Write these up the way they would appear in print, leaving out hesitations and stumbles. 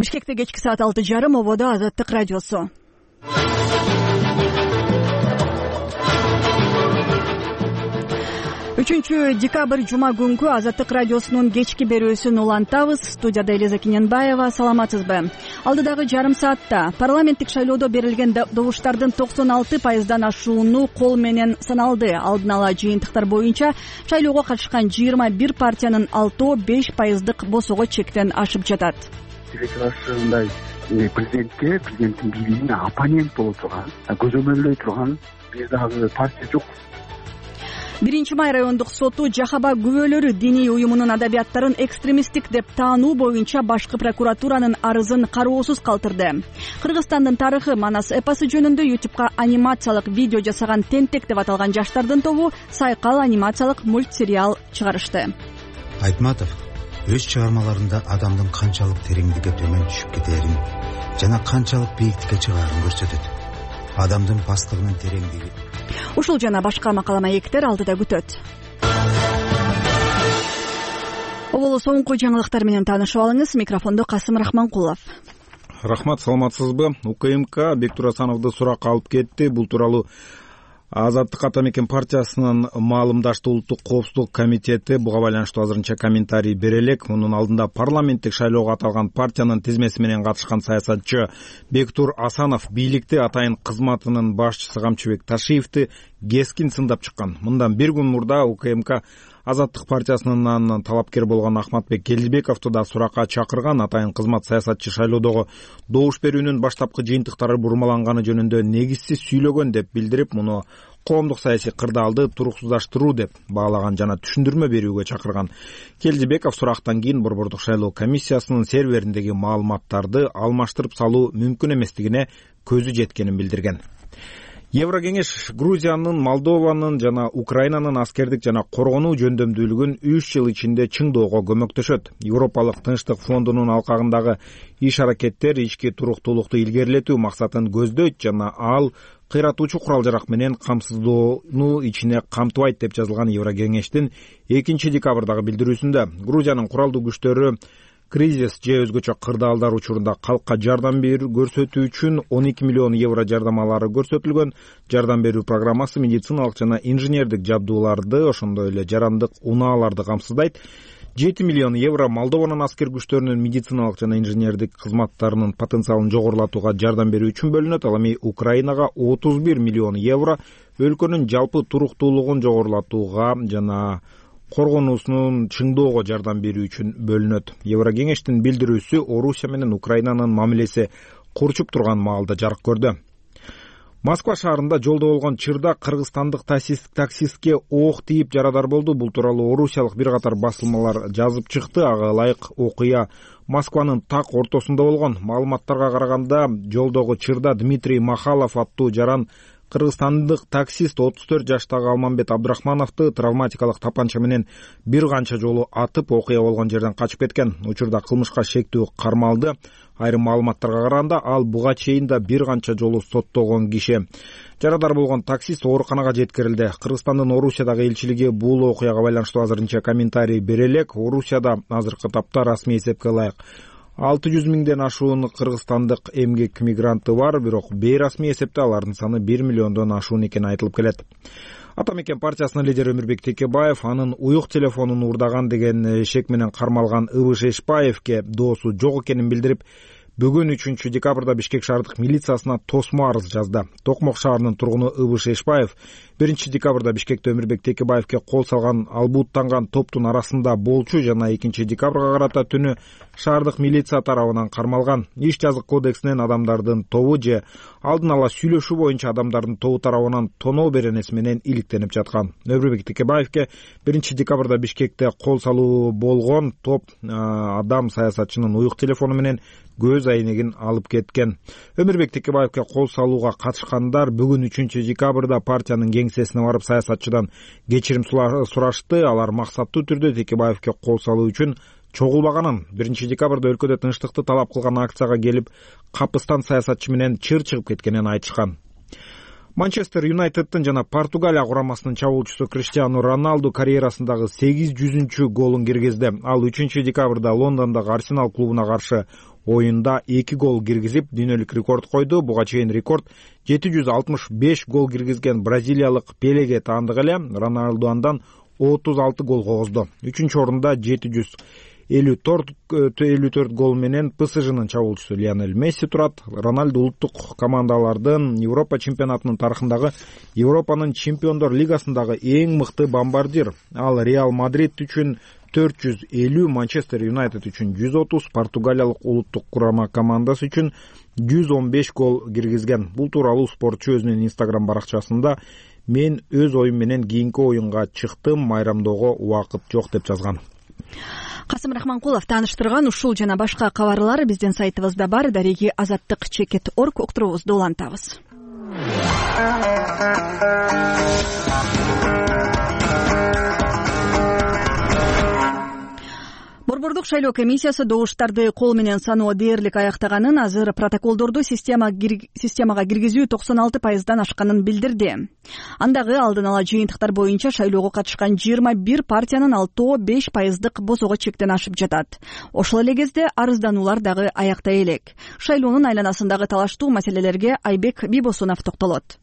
Бишкекте кечки саат 6:30, ободо Азаттык радиосу. 3 декабрь жума күнкү Азаттык радиосунун кечки берүүсүн улантабыз. Студияда Элиза Кененбаева. Саламатсызбы? Алдыдагы жарым саатта парламенттик шайлоодо берилген добуштардын 96%дан ашууну кол менен саналды. Алдын ала жыйынтыктар боюнча шайлоого катышкан 21 партиянын 6-5% босого чектен ашып жатат. Ушундай президенттин бийлигине оппонент боло турган, көзөмөлдөй турган бир дагы партия жок. 1 май райондук соту Жахаба күбөлөрү диний уюмунун адабияттарын экстремисттик деп таануу боюнча башкы прокуратуранын арызын кароосуз калтырды. Кыргызстандын тарыхы Манас эпосу жөнүндө YouTube'га анимациялык видео жасаган Тентек деп аталган жаштардын тобу Сайкал анимациялык мультсериал чыгарышты. Айтматов өз чыгармаларында адамдын канчалык тереңдикке төмөн түшүп кетерин жана канчалык бийиктикке чыгаарын көрсөтөт. Адамдын пасттыгынын тереңдиги. Ушул жана башка макала маектер алдыда күтөт. Оболу соңку жаңылыктар менен таанышып алыңыз. Микрофондо Касым Рахманкулов. Рахмат, саламатсызбы? УКМК Бектур Асановду суракка алып кетти. Бул тууралуу Азаттык ата мекен партиясынын маалымдашты улуттук коопсуздук комитети буга байланыштуу азырынча комментарий бере элек. Мунун алдында парламенттик шайлоого аталган партиянын тизмеси менен катышкан саясатчы Бектур Асанов бийликти атайын кызматынын башчысы Камчыбек Ташиевди кескин сындап чыккан. Мындан бир күн мурда УКМК Азаттык партиясынын талапкер болгон Ахматбек Келдибековду да суракка чакырган. Атайын кызмат саясатчы шайлоодогу добуш берүүнүн баштапкы жыйынтыктары бурмаланганы жөнүндө негизсиз сүйлөгөн деп билдирип, муну коомдук саясий кырдаалды туруксуздаштыруу деп баалаган жана түшүндүрмө берүүгө чакырган. Келдибеков сурактан кийин Борбордук шайлоо комиссиясынын сервериндеги маалыматтарды алмаштырып салуу мүмкүн эместигине көзү жеткенин билдирген. Еврокеңеш Грузиянын, Молдованын жана Украинанын аскердик жана коргонуу жөндөмдүүлүгүн 3 жыл ичинде чыңдоого көмөктөшөт. Европалык Тынчтык фондунун алкагындагы иш-аракеттер ички туруктуулукту илгерилетүү максатын көздөйт жана ал кыйратуучу курал-жарак менен камсыздоону ичине камтыбайт деп жазылган Еврокеңештин 2 декабрдагы билдирүүсүндө. Грузиянын куралдуу күчтөрү кризис же өзгөчө кырдаалдар учурунда калкка жардам көрсөтүү үчүн 12 миллион евро жардамалары көрсөтүлгөн. Жардам берүү программасы медициналык жана инженердик жабдууларды, ошондой эле жарандык унааларды камсыздайт. 7 миллион евро Молдованын аскер күчтөрүнүн медициналык жана инженердик кызматтарынын потенциалын жогорулатууга жардам берүү үчүн бөлүнөт. Ал эми Украинага 31 миллион евро өлкөнүн жалпы туруктуулугун жогорулатууга жана коргонуусунун чыңдоого жардам берүү үчүн бөлүнөт. Еврокеңештин билдирүүсү Орусия менен Украинанын мамилеси курчуп турган маалда жарык көрдү. Москва шаарында жолдо болгон чырда кыргызстандык таксистке ок тийип жарадар болду. Бул тууралуу орусиялык бир катар басылмалар жазып чыкты. Ага ылайык окуя Москванын так ортосунда болгон. Маалыматтарга караганда жолдогу чырда Дмитрий Махалов аттуу жаран кыргызстандык таксист 34 жаштагы Алмамбет Абдрахмановду травматикалык тапанча менен бир канча жолу атып, окуя болгон жерден качып кеткен. Учурда кылмышка шектүү кармалды. Айрым маалыматтарга караганда ал буга чейин да бир канча жолу соттолгон киши. Жарадар болгон таксист ооруканага жеткирилди. Кыргызстандын Орусиядагы элчилиги бул окуяга байланыштуу азырынча комментарий бере элек. Орусияда азыркы тапта расмий эсепке ылайык 600 миңден ашуун кыргызстандык эмгек мигранты бар, бирок бейрасмий эсепте алардын саны 1 миллиондон ашуун экени айтылып келет. Ата мекен партиясынын лидери Өмүрбек Текебаев анын уюк телефонун уурдаган деген шек менен кармалган Ыбыш Эшпаевке доосу жок экенин билдирип, бүгүн 3 декабрда Бишкек шаардык милициясына тосмо арыз жазды. Токмок шаарынын тургуну Ыбыш Эшпаев 1 декабрда Бишкекте Өмүрбек Текебаевке кол салган албуттанган топтун арасында болчу жана 2 декабрга карата түнү шаардык милиция тарабынан кармалган. Иш жазык кодексинен адамдардын тобу же алдын ала сүйлөшүү боюнча адамдардын тобу тарабынан тоноо беренеси менен иликтенип жаткан. Өмүрбек Текебаевке 1 декабрда Бишкекте кол салуу болгон топ адам саясатчынын уюк телефону менен көз айнегин алып кеткен. Өмүрбек Текебаевке кол салууга катышкандар бүгүн 3 декабрда партиянын кеңсесине барып саясатчыдан кечирим сурашты. Алар максаттуу түрдө Текебаевке кол салуу үчүн чогулбаганын, 1 декабрда өлкөдө тынчтыкты талап кылган акцияга келип, капыстан саясатчы менен чыр чыгып кеткенин айтышкан. Манчестер Юнайтедтин жана Португалия курамасынын чабуулчусу Криштиану Роналду карьерасындагы 800-голун киргизди. Ал 3 декабрда Лондондогу Арсенал клубуна каршы оюнда 2 гол киргизип дүйнөлүк рекорд койду. Буга чейин рекорд 765 гол киргизген бразилиялык Пелеге таандык эле. Роналду андан 36 гол койгузду. 3-чү орунда 754 гол менен ПСЖнын чабуучусу Лионель Месси турат. Роналду улуттук командалардын Европа чемпионатынын тарыхындагы Европанын чемпиондор лигасындагы эң мыкты бомбардир. Ал Реал Мадрид үчүн 450, Манчестер Юнайтед үчүн 130, Португалиялык улуттук курама командасы үчүн 115 гол киргизген. Бул тууралуу спортчу өзүнүн Instagram баракчасында "Мен өз оюм менен кийинки оюнга чыктым, майрамдоого убакыт жок" деп жазган. Касым Рахманкулов тааныштырган ушул жана башка кабарлар биздин сайтыбызда бар. Дареги azattik.org уктуруубузду улантабыз. Борбордук шайлоо комиссиясы добуштарды кол менен саноо дээрлик аяктаганын, азыр протоколдорду системага киргизүү 96% ашканын билдирди. Андагы алдын ала жыйынтыктар боюнча шайлоого катышкан 21 партиянын 6-5% босого чектен ашып жатат. Ошол эле кезде арыздануулар дагы аяктай элек. Шайлоонун айланасындагы талаштуу маселелерге Айбек Бибосунов токтолот.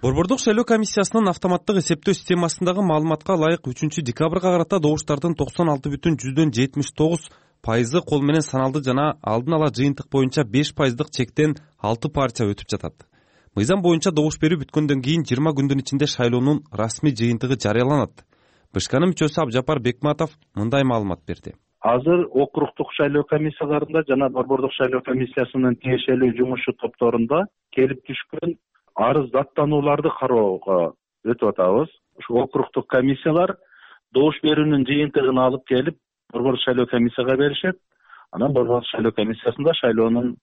Борбордук шайлоо комиссиясынын автоматтык эсептөө системасындагы маалыматка ылайык 3-декабрга карата добуштардын 96,79% кол менен саналды жана алдын ала жыйынтык боюнча 5% чектен 6 партия өтүп жатат. Мыйзам боюнча добуш берүү бүткөндөн кийин 20 күндүн ичинде шайлоонун расмий жыйынтыгы жарыяланат. БШКнын мүчөсү Абжапар Бекматов мындай маалымат берди. Азыр округдук шайлоо комиссияларында жана борбордук шайлоо комиссиясынын тиешелүү жумуш топторунда келип түшкөн арыз даттанууларды кароого өтүп атабыз. Ушу округдук комиссиялар добуш берүүнүн жыйынтыгын алып келип борбордук шайлоо комиссияга беришет. Анан борбордук шайлоо комиссиясында шайлоонун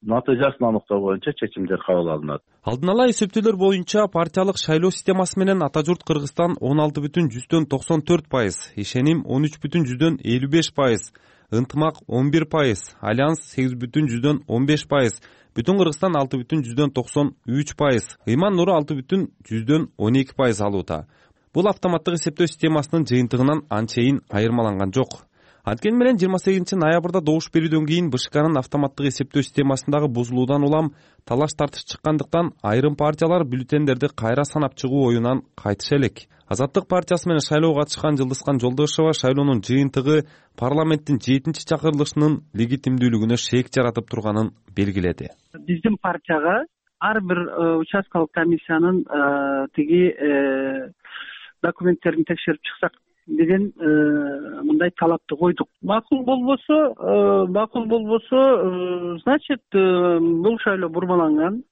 натыйжасын аныктоо боюнча чечимдер кабыл алынат. Алдын ала эсептөөлөр боюнча партиялык шайлоо системасы менен Ата журт Кыргызстан 16,94%, Ишеним 13,55%, Ынтымак 11%, Альянс 8,15%, Бүтүн Кыргызстан 6,93%, Ыйман Нуру 6,12% алууда. Бул автоматтык эсептөө системасынын жыйынтыгынан анчейин айырмаланган жок. Анткени менен 28 ноябрда добуш берүүдөн кийин БШКнын автоматтык эсептөө системасындагы бузулуудан улам талаш тартыш чыккандыктан айрым партиялар бюллетендерди кайра санап чыгуу оюнан кайтыша элек. Азаттык партиясы менен шайлоого катышкан Жылдызкан Жолдошева шайлоонун жыйынтыгы парламенттин 7-чакырылышынын легитимдүүлүгүнө шек жаратып турганын белгиледи. Биздин партияга ар бир участкалык комиссиянын тиги документтерин текшерип чыксак деген мындай талапты койдук. Макул болбосо, значит, бул шайлоо бурмаланган.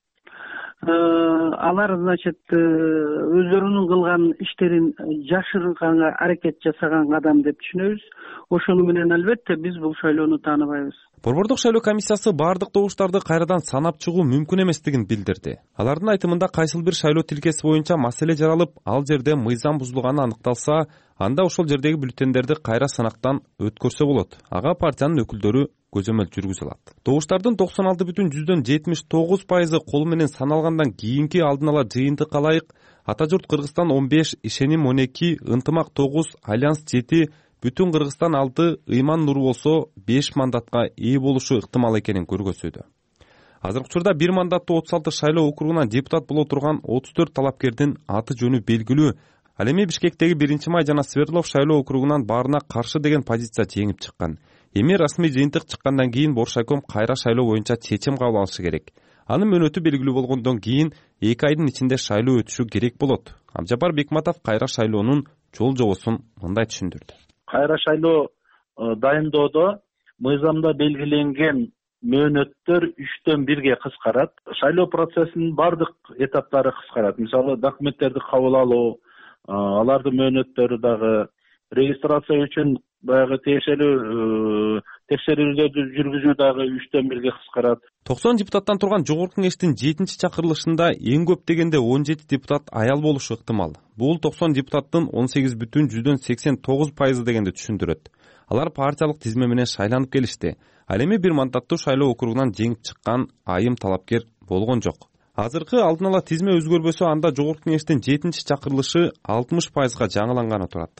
Алар, значит, өздөрүнүн кылган иштерин жашырганга аракет жасаган адам деп түшүнөбүз. Ошону менен албетте биз бул шайлоону тааныбайбыз. Борбордук шайлоо комиссиясы бардык добуштарды кайрадан санап чыгуу мүмкүн эместигин билдирди. Алардын айтымында кайсыл бир шайлоо тилкеси боюнча маселе жаралып, ал жерде мыйзам бузулганы аныкталса, анда ошол жердеги бюллетендерди кайра санактан өткөрсө болот. Ага партиянын өкүлдөрү көзөмөл жүргүзө алат. Добуштардын 96,79% кол менен саналгандан кийинки алдын ала жыйынтыкка ылайык Ата журт Кыргызстан 15, Ишеним 12, Ынтымак 9, Альянс 7, Бүтүн Кыргызстан 6, Ыйман Нуру болсо 5 мандатка ээ болушу ыктымал экенин көргөзүүдө. Азыркы учурда 1 мандаттуу 36 шайлоо округунан депутат боло турган 34 талапкердин аты жөнү белгилүү. Ал эми Бишкектеги 1-Май жана Свердлов шайлоо округунан баарына каршы деген позиция жеңип чыккан. Эми расмий жыйынтык чыккандан кийин Боршайком кайра шайлоо боюнча чечим кабыл алышы керек. Анын мөөнөтү белгилүү болгондон кийин 2 айдын ичинде шайлоо өтүшү керек болот. Абжапар Бекматов кайра шайлоонун жол жобосун мындай түшүндүрдү. Кайра шайлоо дайындоодо мыйзамда белгиленген мөөнөттөр 3-төн 1-ге кыскарат. Шайлоо процессинин бардык этаптары кыскарат. Мисалы, документтерди кабыл алуу, алардын мөөнөттөрү дагы, регистрация үчүн баягы тиешелүү текшерүүлөрдү жүргүзүү дагы 3-төн 1-ге кыскарат. 90 депутаттан турган Жогорку Кеңештин 7-чакырылышында эң көп дегенде 17 депутат аял болушу ыктымал. Бул 90 депутаттын 18,89% дегенди түшүндүрөт. Алар партиялык тизме менен шайланып келишти. Ал эми 1 мандаттуу шайлоо округунан жеңип чыккан айым талапкер болгон жок. Азыркы алдын ала тизме өзгөрбөсө, анда Жогорку Кеңештин 7-чакырылышы 60%га жаңыланганы турат.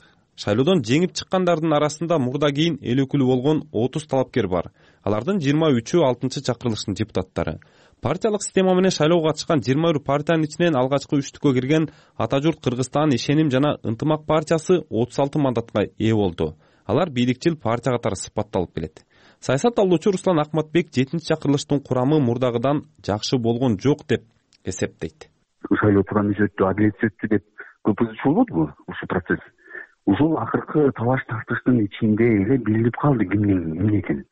Шайлоодон жеңип чыккандардын арасында мурда кийин эл өкүлү болгон 30 талапкер бар. Алардын 23-ü 6-чакырылыштын депутаттары. Партиялык система менен шайлоого катышкан 21 партиянын ичинен алгачкы 3-түккө кирген Ата журт Кыргызстан Ишеним жана Ынтымак партиясы 36 мандатка ээ болду. Алар бийликчил партия катары сыпатталып келет. Саясат алуучу Руслан Акматбек 7-чакырылыштын курамы мурдагыдан жакшы болгон жок деп эсептейт. Шайлоо туурамы өттү, адилетсиз өттү деп көп ызчуу болбодубу ушул процесс? Ушул акыркы талаш тартыштын ичинде эле билинип калды кимдин эмне экени.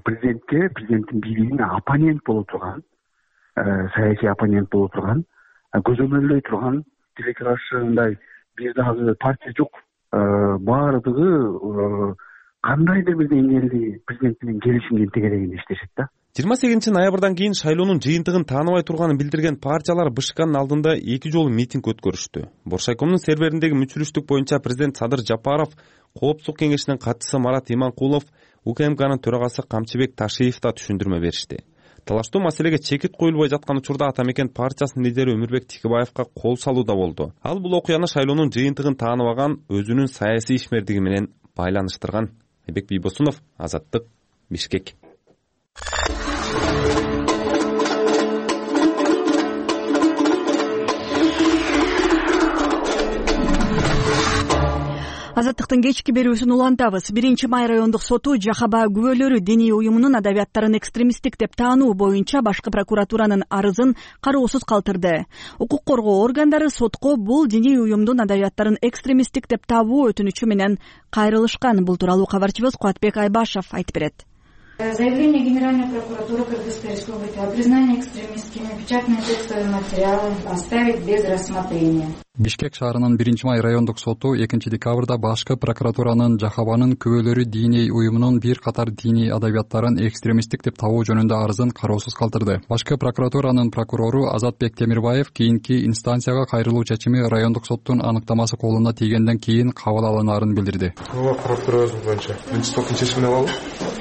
Президентке, президенттин бийлигине оппонент боло турган, саясий оппонент боло турган, көзөмөлдөй турган тилекке каршы мындай бир дагы партия жок. Баардыгы кандайдыр бир деңгээлде президент менен келишимге тегерегинде иштешет да. 28 ноябрдан кийин шайлоонун жыйынтыгын тааныбай турганын билдирген партиялар БШКнын алдында 2 жолу митинг өткөрүштү. Боршайкомдун сервериндеги мүчүрүштүк боюнча президент Садыр Жапаров, Коопсуздук кеңешинин катчысы Марат Иманкулов, УКМКнын төрагасы Камчыбек Ташиев да түшүндүрмө беришти. Талаштуу маселеге чекит коюлбай жаткан учурда Атамекен партиясынын лидери Өмүрбек Тикибаевка кол салуу да болду. Ал бул окуяны шайлоонун жыйынтыгын тааныбаган өзүнүн саясий ишмердиги менен байланыштырган. Айбек Бийбосунов, Азаттык, Бишкек. Азаттыктын кечки берүүсүн улантабыз. 1-май райондук соту Жахаба күбөлөрү диний уюмунун адабияттарын экстремисттик деп таануу боюнча башкы прокуратуранын арызын кароосуз калтырды. Укук коргоо органдары сотко бул диний уюмдун адабияттарын экстремисттик деп табуу өтүнүчү менен кайрылышкан. Бул тууралуу кабарчыбыз Кубатбек Айбашев айтып берет. Заявление Генеральной прокуратуры Кыргызской Республики о признании экстремистскими печатные текстовые материалы оставить без рассмотрения. Бишкек шаарынын 1-май райондук соту 2-декабрда башкы прокуратуранын Жахабанын күбөлөрү диний уюмунун бир катар диний адабияттарын экстремисттик деп табуу жөнүндө арызын кароосуз калтырды. Башкы прокуратуранын прокурору Азатбек Темирбаев кийинки инстанцияга кайрылуу чечими райондук соттун аныктамасы колуна тийгенден кийин кабыл алынаарын билдирди. Прокурор боюнча соттун чечимин алалы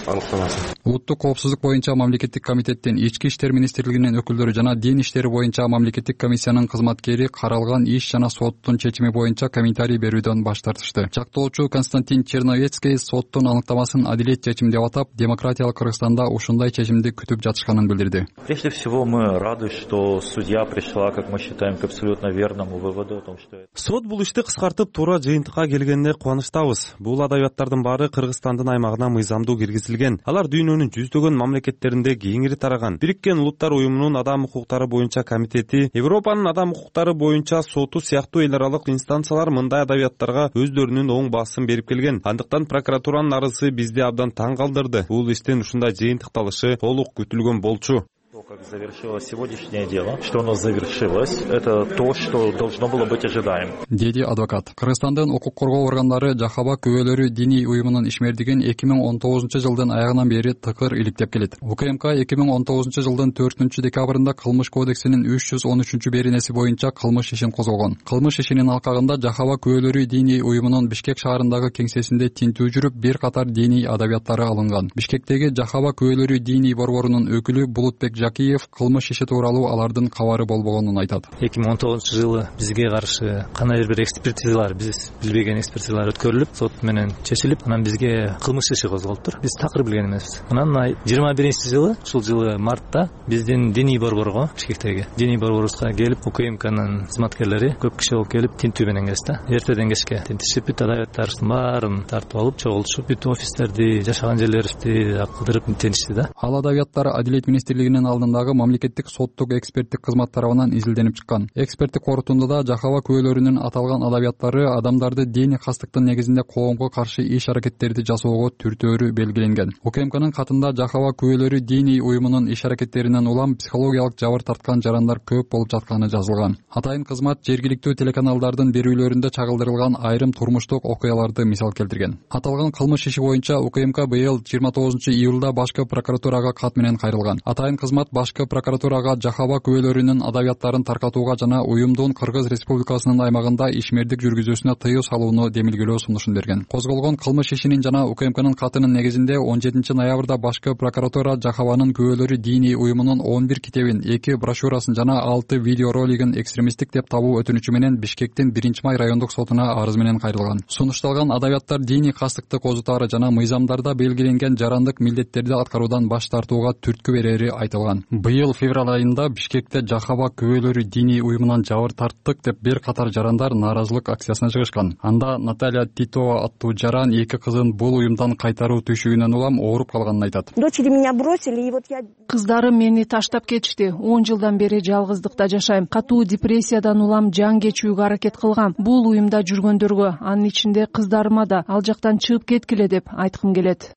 аныктамасын. Улуттук коопсуздук боюнча мамлекеттик комитеттин, Ички иштер министрлигинин өкүлдөрү жана дин иштери боюнча мамлекеттик комиссиянын кызматкери каралган иш жана соттун чечими боюнча комментарий берүүдөн баш тартышты. Жактоочу Константин Черновецкий соттун аныктамасын адилет чечим деп атап, демократиялык Кыргызстанда ушундай чечимди күтүп жатышканын билдирди. Прежде всего мы рады, что судья пришла, как мы считаем, к абсолютно верному выводу о том, что сот бул ишти кыскартып туура жыйынтыкка келгенине кубанычтабыз. Бул адабияттардын баары Кыргызстандын аймагына мыйзамдуу киргизилген. Алар дүйнөнүн жүздөгөн мамлекеттеринде кеңири тараган. Бириккен Улуттар уюмунун адам укуктары боюнча комитети, Европанын адам укуктары боюнча соту сыяктуу эл аралык инстанциялар мындай адабияттарга өздөрүнүн оң баасын берип келген. Андыктан прокуратуранын арызы бизди абдан таң калтырды. Бул иштин ушундай жыйынтыкталышы толук күтүлгөн болчу. Как завершилось сегодняшнее дело, что оно завершилось, это то, что должно было быть ожидаемо. Деди адвокат. Кыргызстандын укук коргоо органдары Жахаба күбөлөрү диний уюмунун ишмердигин 2019-жылдын аягынан бери тыкыр иликтеп келет. УКМК 2019-жылдын 4-декабрында кылмыш кодексинин 313-беренеси боюнча кылмыш ишин козгогон. Кылмыш ишинин алкагында Жахаба күбөлөрү диний уюмунун Бишкек шаарындагы кеңсесинде тинтүү жүрүп, бир катар диний адабияттары алынган. Бишкектеги Жахаба күбөлөрү диний борборунун өкүлү Булутбек Жакиев кылмыш иши тууралуу алардын кабары болбогонун айтат. 2019-жылы бизге каршы кандай бир экспертизалар, биз билбеген экспертизалар өткөрүлүп, сот менен чечилип, анан бизге кылмыш иши козголуптур. Биз такыр билген эмеспиз. Анан 21-жылы, ушул жылы мартта биздин диний борборго, Бишкектеги диний борборубузга келип, УКМКнын кызматкерлери көп киши болуп келип, тинтүү менен келишти. Эртеден кечке тинтишип, бүт адабияттардын баарын тартып алып, чогултушуп, бүт офистерди, жашаган жерлерибизди кыдырып тинтишти да. Ал адабияттар Адилет министрлигинин алдындагы мамлекеттик соттук эксперттик кызмат тарабынан изилденип чыккан. Эксперттик корутундуда Жахаба күбөлөрүнүн аталган адабияттары адамдарды диний кастыктын негизинде коомго каршы иш-аракеттерди жасоого түртөөрү белгиленген. УКМКнын катында Жахаба күбөлөрү диний уюмунун иш-аракеттеринен улам психологиялык жабыр тарткан жарандар көп болуп жатканы жазылган. Атайын кызмат жергиликтүү телеканалдардын берүүлөрүндө чагылдырылган айрым турмуштук окуяларды мисал келтирген. Аталган кылмыш иши боюнча УКМК быйыл 29-июлда башкы прокуратурага кат менен кайрылган. Атайын кызмат башкы прокуратурага жахаба күбөлөрүнүн адабияттарын таркатууга жана уюмдун Кыргыз Республикасынын аймагында ишмердик жүргүзүүсүнө тыюу салууну демилгелөө сунушун берген. Козголгон кылмыш ишинин жана УКМКнын катынын негизинде 17 ноябрда башкы прокуратура жахабанын күбөлөрү диний уюмунун 11 китебин, 2 брошюрасын жана 6 видеоролигин экстремисттик деп табуу өтүнүчү менен Бишкектин 1-май райондук сотуна арыз менен кайрылган. Сунушталган адабияттар диний кастыкты козутаары жана мыйзамдарда белгиленген жарандык милдеттерди аткаруудан баш тартууга түрткү берери айтылган. Быйыл февраль айында Бишкекте жахаба күбөлөрү диний уюмунан жабыр тарттык деп бир катар жарандар нааразылык акциясына чыгышкан. Анда Наталья Титова аттуу жаран 2 кызын бул уюмдан кайтаруу түйшүгүнөн улам ооруп калганын айтат. Дочери меня бросили, и вот я... Кыздарым мени таштап кетишти. 10 жылдан бери жалгыздыкта жашайм. Катуу депрессиядан улам жан кечүүгө аракет кылгам. Бул уюмда жүргөндөргө, анын ичинде кыздарыма да ал жактан чыгып кеткиле деп айткым келет.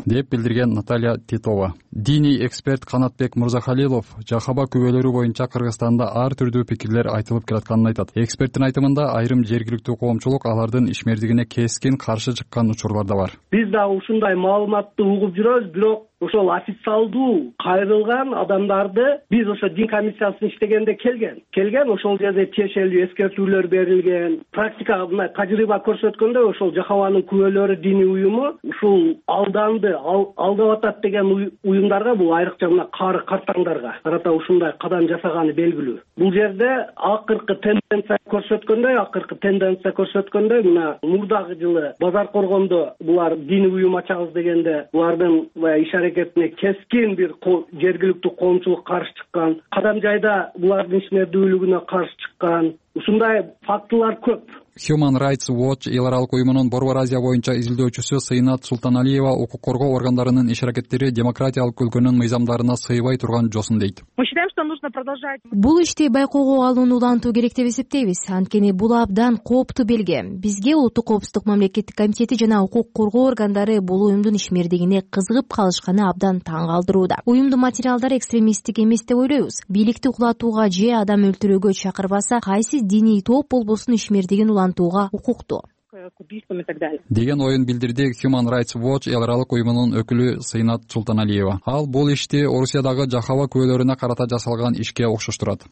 Деп билдирген Наталья Титова. Диний эксперт Канатбек Мурзахалилов жахаба күбөлөрү боюнча Кыргызстанда ар түрдүү пикирлер айтылып келатканын айтат. Эксперттин айтымында айрым жергиликтүү коомчулук алардын ишмердигине кескин каршы чыккан учурлар да бар. Биз да ушундай маалыматты угуп жүрөбүз, бирок ошол официалдуу кайрылган адамдарды биз ошо дин комиссиясын иштегенде келген ошол жерде тиешелүү эскертүүлөр берилген. Практикага мына тажрыйба көрсөткөндөй ошол жахабанын күбөлөрү диний уюму ушул алданды, алдап атат деген уюмдарга, бул айрыкча мына кары картаңдарга карата ушундай кадам жасаганы белгилүү. Бул жерде акыркы тенденция көрсөткөндөй мына мурдагы жылы базар коргондо булар диний уюм ачабыз дегенде булардын иш аракетине кескин бир жергиликтүү коомчулук каршы чыккан, кадам жайда булардын ишмердүүлүгүнө каршы чыккан. Ушундай фактылар көп. Human Rights Watch эл аралык уюмунун Борбор Азия боюнча изилдөөчүсү Сыйнат Султаналиева укук коргоо органдарынын иш аракеттери демократиялык өлкөнүн мыйзамдарына сыйбай турган жосун дейт. Мы считаем, что нужно продолжать. Бул ишти байкоого алууну улантуу керек деп эсептейбиз. Анткени бул абдан кооптуу белги. Бизге Улуттук коопсуздук мамлекеттик комитети жана укук коргоо органдары бул уюмдун ишмердигине кызыгып калышканы абдан таң калтырууда. Уюмдун материалдары экстремисттик эмес деп ойлойбуз. Бийликти кулатууга же адам өлтүрүүгө чакырбаса, кайсы диний топ болбосун ишмердигин улантууга укуктуу деген оюн билдирди Human Rights Watch эл аралык уюмунун өкүлү Сыйнат Султаналиева. Ал бул ишти Орусиядагы жахаба күбөлөрүнө карата жасалган ишке окшоштурат.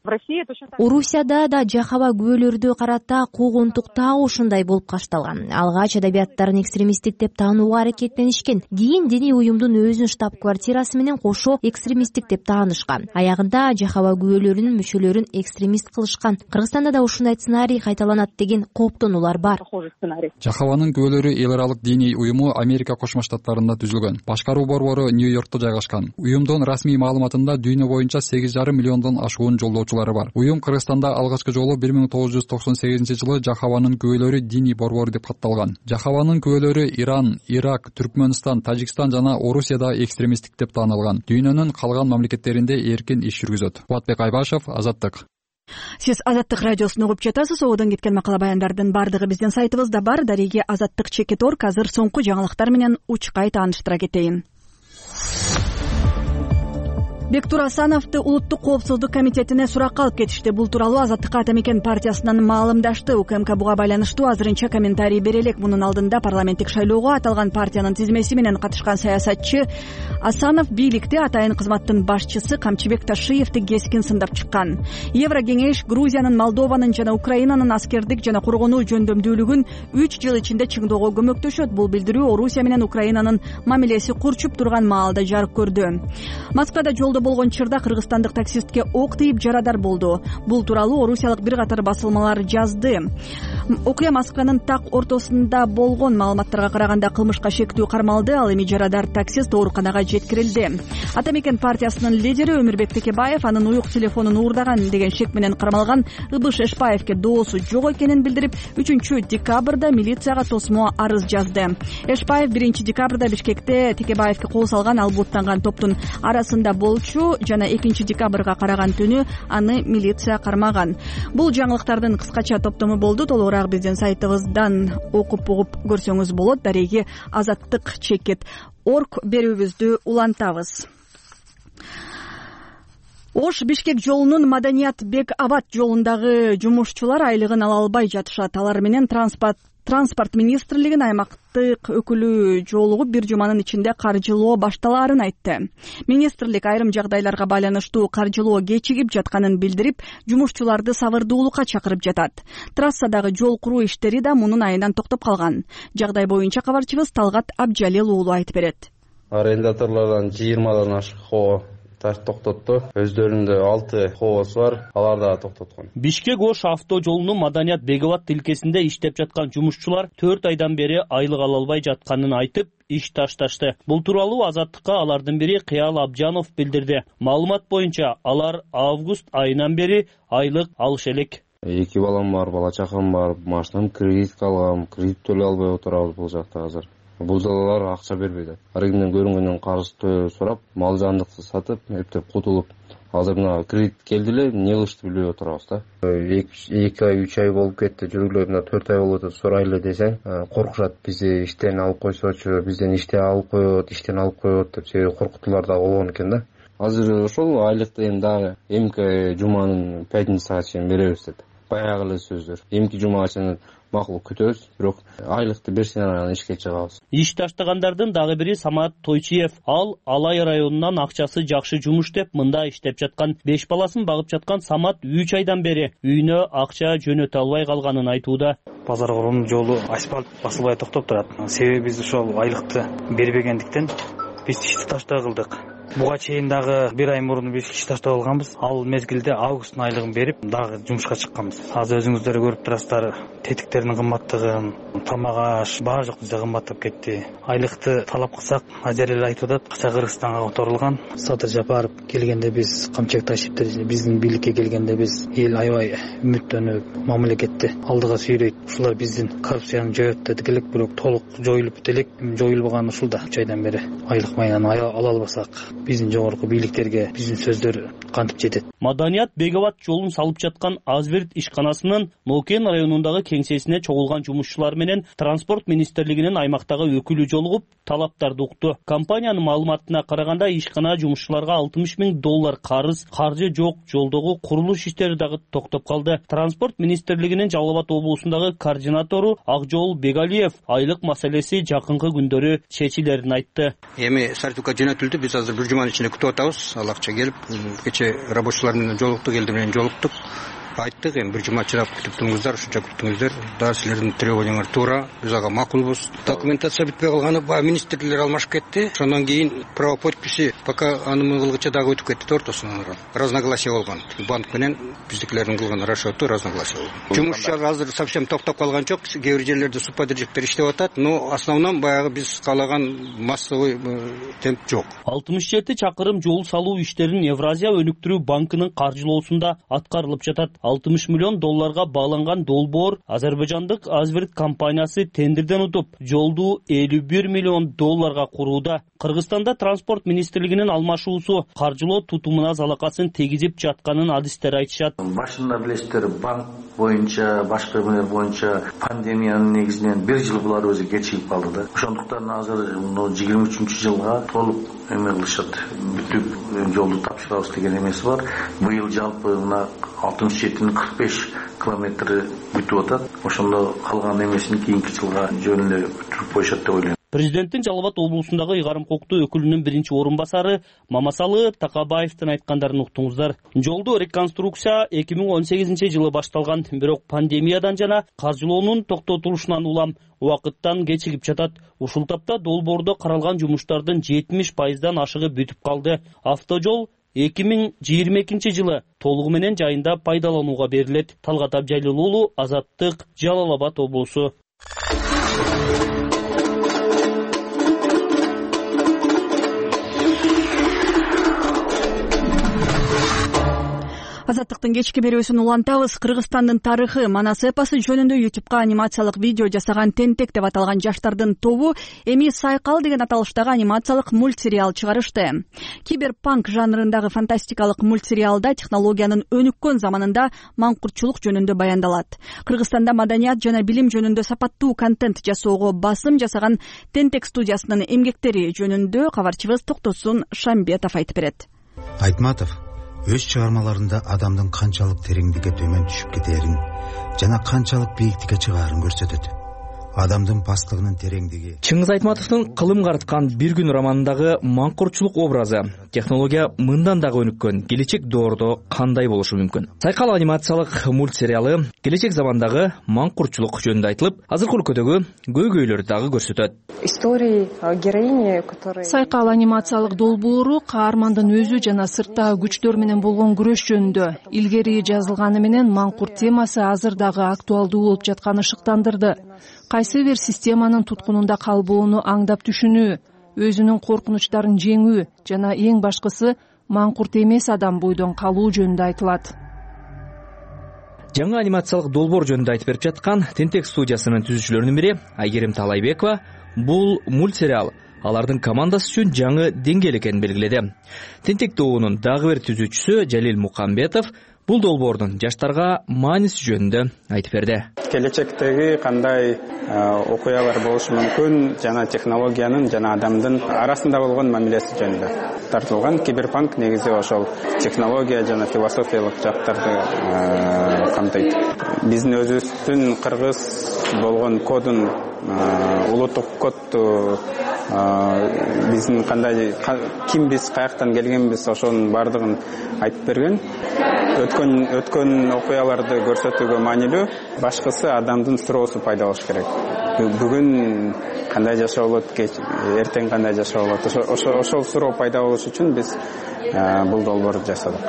Орусияда да жахаба күбөлөрдү карата куугунтук так ушундай болуп кашталган. Алгач адабияттарын экстремисттик деп таанууга аракеттенишкен. Кийин диний уюмдун өзүнүн штаб-квартирасы менен кошо экстремисттик деп таанышкан. Аягында жахаба күбөлөрүнүн мүчөлөрүн экстремист кылышкан. Кыргызстанда да ушундай сценарий кайталанат деген кооптонуулар бар. Жахабанын күбөлөрү эл аралык диний уюму Америка Кошмо Штаттарында түзүлгөн. Башкаруу борбору Нью-Йоркто жайгашкан. Уюмдун расмий маалыматында дүйнө боюнча 8,5 миллиондон ашуун жолдоочулары бар. Уюм Кыргызстанда алгачкы жолу 1998-жылы жахабанын күбөлөрү диний борбору деп катталган. Жахабанын күбөлөрү Иран, Ирак, Түркмөнстан, Тажикстан жана Орусияда экстремисттик деп таанылган. Дүйнөнүн калган мамлекеттеринде эркин иш жүргүзөт. Кубатбек Айбашев, Азаттык. Сиз Азаттык радиосун угуп жатасыз. Ободон кеткен макала баяндардын бардыгы биздин сайтыбызда бар. Дареги Азаттык.org. Азыр соңку жаңылыктар менен учкай тааныштыра кетейин. Бектур Асановду Улуттук коопсуздук комитетине суракка алып кетишти. Бул тууралуу Азаттыкка ата мекен партиясынан маалымдашты. УКМК буга байланыштуу азырынча комментарий бере элек. Мунун алдында парламенттик шайлоого аталган партиянын тизмеси менен катышкан саясатчы Асанов бийликти атайын кызматтын башчысы Камчыбек Ташиевди кескин сындап чыккан. Еврокеңеш Грузиянын, Молдованын жана Украинанын аскердик жана коргонуу жөндөмдүүлүгүн 3 жыл ичинде чыңдоого көмөктөшөт. Бул билдирүү Орусия менен Украинанын мамилеси курчуп турган маалда жарык көрдү. Москвада жолдо болгон чырда кыргызстандык таксистке ок тийип жарадар болду. Бул тууралуу орусиялык бир катар басылмалар жазды. Окуя Москванын так ортосунда болгон. Маалыматтарга караганда кылмышка шектүү кармалды. Ал эми жарадар таксист ооруканага жеткирилди. Ата мекен партиясынын лидери Өмүрбек Текебаев анын уюк телефонун уурдаган деген шек менен кармалган Ыбыш Эшпаевке доосу жок экенин билдирип, 3-декабрда милицияга тосмо арыз жазды. Эшпаев 1-декабрда Бишкекте Текебаевке кол салган. Ал буттанган топтун арасында болчу жана 2-декабрга караган түнү аны милиция кармаган. Бул жаңылыктардын кыскача топтому болду. Толугураак биздин сайтыбыздан окуп угуп көрсөңүз болот. Дареги Азаттык.org берүүбүздү улантабыз. Ош Бишкек жолунун Маданият Бек Абад жолундагы жумушчулар айлыгын ала албай жатышат. Алар менен Транспорт министрлигинин аймактык өкүлү жолугуп бир жуманын ичинде каржылоо башталаарын айтты. Министрлик айрым жагдайларга байланыштуу каржылоо кечигип жатканын билдирип, жумушчуларды сабырдуулукка чакырып жатат. Трассадагы жол куруу иштери да мунун айынан токтоп калган. Жагдай боюнча кабарчыбыз Талгат Абджалил уулу айтып берет. Арендаторлордон 20дан ашык хоо токтотту. Өздөрүндө 6 хообус бар, алар да токтоткон. Бишкек-Ош авто жолунун Маданият Бегабад тилкесинде иштеп жаткан жумушчулар 4 айдан бери айлык ала албай жатканын айтып, иш ташташты. Бул тууралуу Азаттыкка алардын бири Кыял Абжанов билдирди. Маалымат боюнча алар август айынан бери айлык алыш элек. 2 балам бар, бала чакам бар, машинам кредитке алгам, кредит төлөй албай отурабыз бул жакта азыр. Бул залалар акча бербейт. Арыгынан көрүнгөндөн карыз сурап, мал жандыкты сатып, эптеп кутулуп, азыр мына кредит келди эле, эмне кылышты билбей отурабыз да. 2 ай, 3 ай болуп кетти, жүргүлө мына 4 ай болуп атат, сурайлы десең, коркушат, бизди иштен алып койсочу, бизден иштен алып коет деп себеби коркутуулар да болгон экен да. Азыр ошол айлыкты эми дагы эмки жуманын пятницага чейин беребиз деп. Баягы эле сөздөр. Эмки жумага чейин макул күтөбүз, бирок айлыкты берсин анан ишке чыгабыз. Иш таштагандардын дагы бири Самат Тойчиев. Ал Алай районунан акчасы жакшы жумуш деп мында иштеп жаткан. 5 баласын багып жаткан Самат 3 айдан бери үйүнө акча жөнөтө албай калганын айтууда. Базар корунун жолу асфальт басылбай токтоп турат. Себеби биз ошол айлыкты бербегендиктен биз ишти таштай кылдык. Буга чейин дагы 1 ай мурун биз иш таштап алганбыз. Ал мезгилде августтун айлыгын берип, дагы жумушка чыкканбыз. Азыр өзүңүздөр көрүп турасыздар, тетиктердин кымбаттыгын, тамак аш баары жок бизде кымбаттап кетти. Айлыкты талап кылсак, азыр эле айтып атат, акча Кыргызстанга которулган. Садыр Жапаров келгенде биз камчек ташиптыр, биздин бийликке келгенде биз эл аябай үмүттөнүп, мамлекетти алдыга сүйрөйт. Ушулар биздин коррупцияны жоет дедик элек, бирок толук жоюлуп бит элек. Жоюлбаган ушулда 3 айдан бери айлык майынан ала албасак, биздин жогорку бийликтерге биздин сөздөр кантип жетет. Маданият Бегабад жолун салып жаткан Азберт ишканасынын Нокен районундагы кеңсесине чогулган жумушчулар менен Транспорт министрлигинин аймактагы өкүлү жолугуп, талаптарды укту. Компаниянын маалыматына караганда, ишкана жумушчуларга $60 000 карыз, каржы жок, жолдогу курулуш иштери дагы токтоп калды. Транспорт министрлигинин Жалал Абад облусундагы координатору Акжол Бегалиев айлык маселеси жакынкы күндөрү чечилерин айтты. Эми сертификат жөнөтүлдү, биз азыр бир жуманын ичинде күтүп атабыз. Ал акча келип, кече рабочийлар менен жолуктук, элдер менен жолуктук. Айттык, эми бир жума чыдап күтүп туруңуздар, ушунча күттүңүздөр. Да силердин требованияңар туура, биз ага макулбуз. Документация бүтпөй калганы, баягы министрлер алмашып кетти. Ошондон кийин право подписи пока анын кылгыча дагы өтүп кетти, ортосунан. Разногласие болгон. Банк менен биздикилердин кылган расчёту разногласие болгон. Жумушчулар азыр совсем токтоп калган жок. Кээ бир жерлерде субподрядчиктер иштеп атат, но основном баягы биз каалаган массовый темп жок. 67 чакырым жол салуу иштерин Евразия өнүктүрүү банкынын каржылоосунда аткарылып жатат. $60 million бааланган долбоор Азербайжандык Азберт компаниясы тендерден утуп, жолду $51 million курууда. Кыргызстанда транспорт министрлигинин алмашуусу каржылоо тутумуна залакасын тийгизип жатканын адистер айтышат. Башында билесиздер, банк боюнча, башка эмелер боюнча пандемиянын негизинен 1 жыл булар өзү кечигип калды да. Ошондуктан азыр 23-жылга толук эме кылышат, бүтүп жолду тапшырабыз деген эмеси бар. Быйыл жалпы мына 67-45 километри бүтүп атат. Ошондо калган эмесин кийинки жылга жөнүндө бүтүрүп коюшат деп ойлойм. Президенттин Жалал Абад облусундагы ыйгарым укуктуу өкүлүнүн биринчи орун басары Мамасалы Такабаевдин айткандарын уктуңуздар. Жолду реконструкция 2018-жылы башталган, бирок пандемиядан жана каржылоонун токтотулушунан улам убакыттан кечигип жатат. Ушул тапта долбоордо каралган жумуштардын 70%дан ашыгы бүтүп калды. Автожол 2022-жылы толугу менен жайында пайдаланууга берилет. Талгат Абжалил уулу, Азаттык, Жалал Абад облусу. Азаттыктын кечки берүүсүн улантабыз. Кыргызстандын тарыхы, Манас эпосу жөнүндө YouTube'га анимациялык видео жасаган Тентек деп аталган жаштардын тобу эми Сайкал деген аталыштагы анимациялык мультсериал чыгарышты. Киберпанк жанрындагы фантастикалык мультсериалда технологиянын өнүккөн заманында маңкуртчулук жөнүндө баяндалат. Кыргызстанда маданият жана билим жөнүндө сапаттуу контент жасоого басым жасаган Тентек студиясынын эмгектери жөнүндө кабарчыбыз Токтосун Шамбетов айтып берет. Айтматов өз чыгармаларында адамдын канчалык тереңдикке төмөн түшүп кетээрин жана канчалык бийиктикке чыгаарын көрсөтөт. адамдын пастлыгынын тереңдиги. Чыңгыз Айтматовдун Кылым карыткан бир күн романындагы маңкуртчулук образы технология мындан дагы өнүккөн келечек доордо кандай болушу мүмкүн? Сайкал анимациялык мультсериалы келечек замандагы маңкуртчулук жөнүндө айтылып, азыркы өлкөдөгү көйгөйлөрдү дагы көрсөтөт. Истории героини, которые Сайкал анимациялык долбоору каармандын өзү жана сырттагы күчтөр менен болгон күрөш жөнүндө илгери жазылганы менен маңкурт темасы азыр дагы актуалдуу болуп жатканы шыктандырды. Кайсы бир системанын туткунунда калбоону аңдап түшүнүү, өзүнүн коркунучтарын жеңүү жана эң башкысы маңкурт эмес адам бойдон калуу жөнүндө айтылат. Жаңы анимациялык долбоор жөнүндө айтып берип жаткан Тентек студиясынын түзүүчүлөрүнүн бири Айгерим Талайбекова бул мультсериал алардын командасы үчүн жаңы деңгээл экенин белгиледи. Тентек тобунун дагы бир түзүүчүсү Жалил Мукамбетов бул долбоордун жаштарга мааниси жөнүндө айтып берди. Келечектеги кандай окуялар болушу мүмкүн жана технологиянын жана адамдын арасында болгон мамилеси жөнүндө тартылган. Киберпанк негизи ошол технология жана философиялык жактарды камтыйт. Биздин өзүбүздүн кыргыз болгон кодун улуттук кодду биздин кандай кимбиз, каяктан келгенбиз ошонун баардыгын айтып берген. Өткөн окуяларды көрсөтүүгө маанилүү, башкысы адамдын суроосу пайда болуш керек. Бүгүн кандай жашоо болот, эртең кандай жашоо болот? Ошол суроо пайда болуш үчүн биз бул долбоорду жасадык.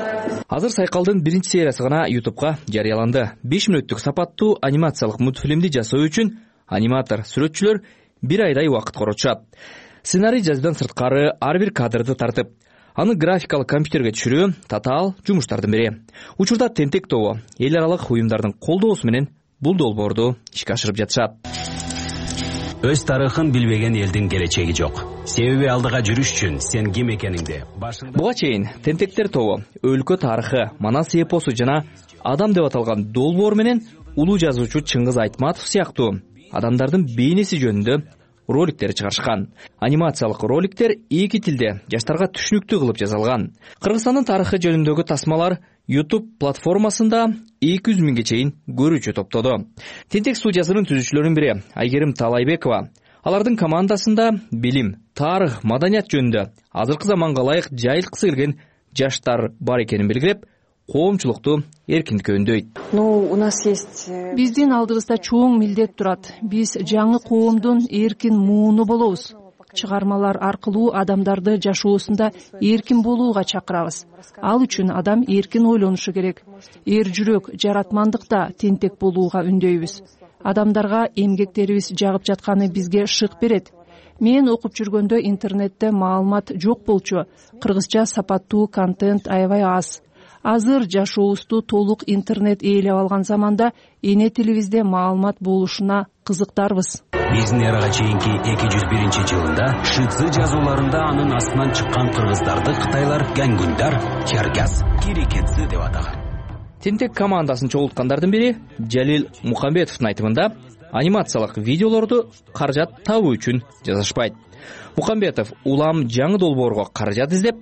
Азыр Сайкалдын биринчи сериясы гана YouTube'га жарыяланды. 5 мүнөттүк сапаттуу анимациялык мультфильмди жасоо үчүн аниматор, сүрөтчүлөр 1 айдай убакыт коротушат. Сценарий жазуудан сырткары ар бир кадрды тартып, аны графикалык компьютерге түшүрүү татаал жумуштардын бири. Учурда Тентек тобу эл аралык уюмдардын колдоосу менен бул долбоорду ишке ашырып жатышат. Өз тарыхын билбеген элдин келечеги жок. Себеби алдыга жүрүш үчүн сен ким экениңди Буга чейин Тентектер тобу өлкө тарыхы, Манас эпосу жана Адам деп аталган долбоор менен улуу жазуучу Чыңгыз Айтматов сыяктуу адамдардын бейнеси жөнүндө роликтер чыгарышкан. Анимациялык роликтер 2 тилде жаштарга түшүнүктүү кылып жасалган. Кыргызстандын тарыхы жөнүндөгү тасмалар YouTube платформасында 200 миңге чейин көрүүчү топтоду. Тентек студиясынын түзүүчүлөрүнүн бири Айгерим Талайбекова алардын командасында билим, тарых, маданият жөнүндө азыркы заманга ылайык жайылткысы келген жаштар бар экенин белгилеп, коомчулукту эркиндикке үндөйт. У нас есть Биздин алдыбызда чоң милдет турат. Биз жаңы коомдун эркин мууну болобуз. Чыгармалар аркылуу адамдарды жашоосунда эркин болууга чакырабыз. Ал үчүн адам эркин ойлонушу керек. Эр жүрөк, жаратмандыкта тентек болууга үндөйбүз. Адамдарга эмгектерибиз жагып жатканы бизге шык берет. Мен окуп жүргөндө интернетте маалымат жок болчу. Кыргызча сапаттуу контент аябай аз. Азыр жашообузду толук интернет ээлеп алган заманда эне тилибизде маалымат болушуна кызыктарбыз. Биздин эрага чейинки 201-жылында Шыцы жазууларында анын астынан чыккан кыргыздарды кытайлар гангундар, чаргас, кирикетси деп атаган. Тентек командасын чогулткандардын бири Жалил Мукамбетовдун айтымында анимациялык видеолорду каражат табуу үчүн жасашпайт. Мукамбетов улам жаңы долбоорго каражат издеп,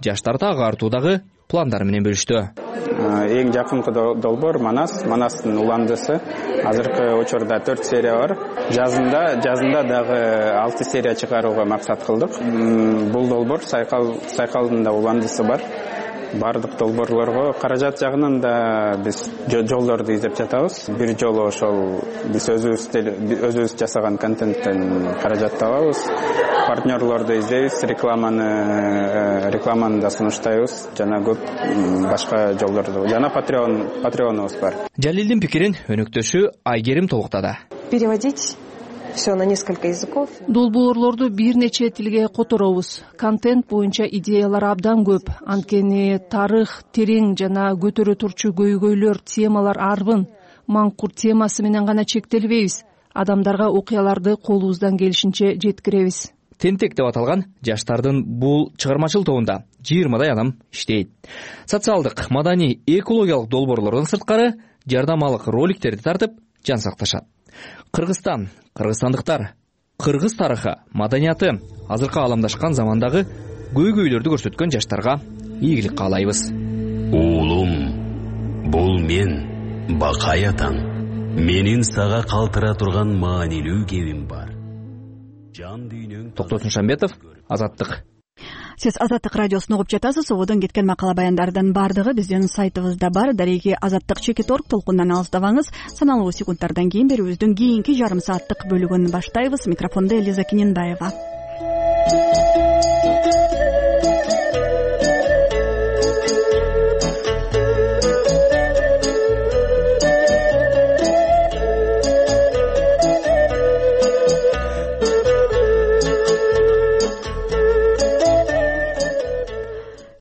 жаштарды агартуудагы пландары менен бөлүштү. Эң жакынкы долбоор Манастын уландысы. Азыркы учурда 4 серия бар. Жазында дагы 6 серия чыгарууга максат кылдык. Бул долбоор Сайкалдын да уландысы бар. Бардык долбоорлорго каражат жагынан да биз жолдорду издеп жатабыз. Бир жолу ошол биз өзүбүз жасаган контенттен каражат табабыз. Партнерлорду издейбиз, рекламаны да сунуштайбыз, жана көп башка жолдорду, жана патреонубуз бар. Жалилдин пикирин өнөктөшү Айгерим толуктады. Переводить все на несколько языков. Долбоорлорду бир нече тилге которобуз. Контент боюнча идеялар абдан көп. Анткени тарых терең жана көтөрө турчу көйгөйлөр, темалар арбын. Маңкурт темасы менен гана чектелбейбиз. Адамдарга окуяларды колубуздан келишинче жеткиребиз. Тентек деп аталган жаштардын бул чыгармачыл тобунда 20дай адам иштейт. Социалдык, маданий, экологиялык долбоорлордон сырткары жардамалык роликтерди тартып жан сакташат. Кыргызстан, кыргызстандыктар, кыргыз тарыхы, маданияты азыркы ааламдашкан замандагы көйгөйлөрдү көрсөткөн жаштарга ийгилик каалайбыз. Уулум, бул мен Бакай атаң. менин сага калтыра турган маанилүү кебим бар. Жан дүйнөң. Токтосун Шамбетов, Азаттык. Сиз Азаттык радиосун угуп жатасыз. Ободон кеткен макала баяндардын баардыгы биздин сайтыбызда бар. Дареги Азаттык.org толкундан алыстабаңыз. Саналуу секундтардан кийин берүүбүздүн кийинки жарым сааттык бөлүгүн баштайбыз. Микрофондо Элиза Кененбаева.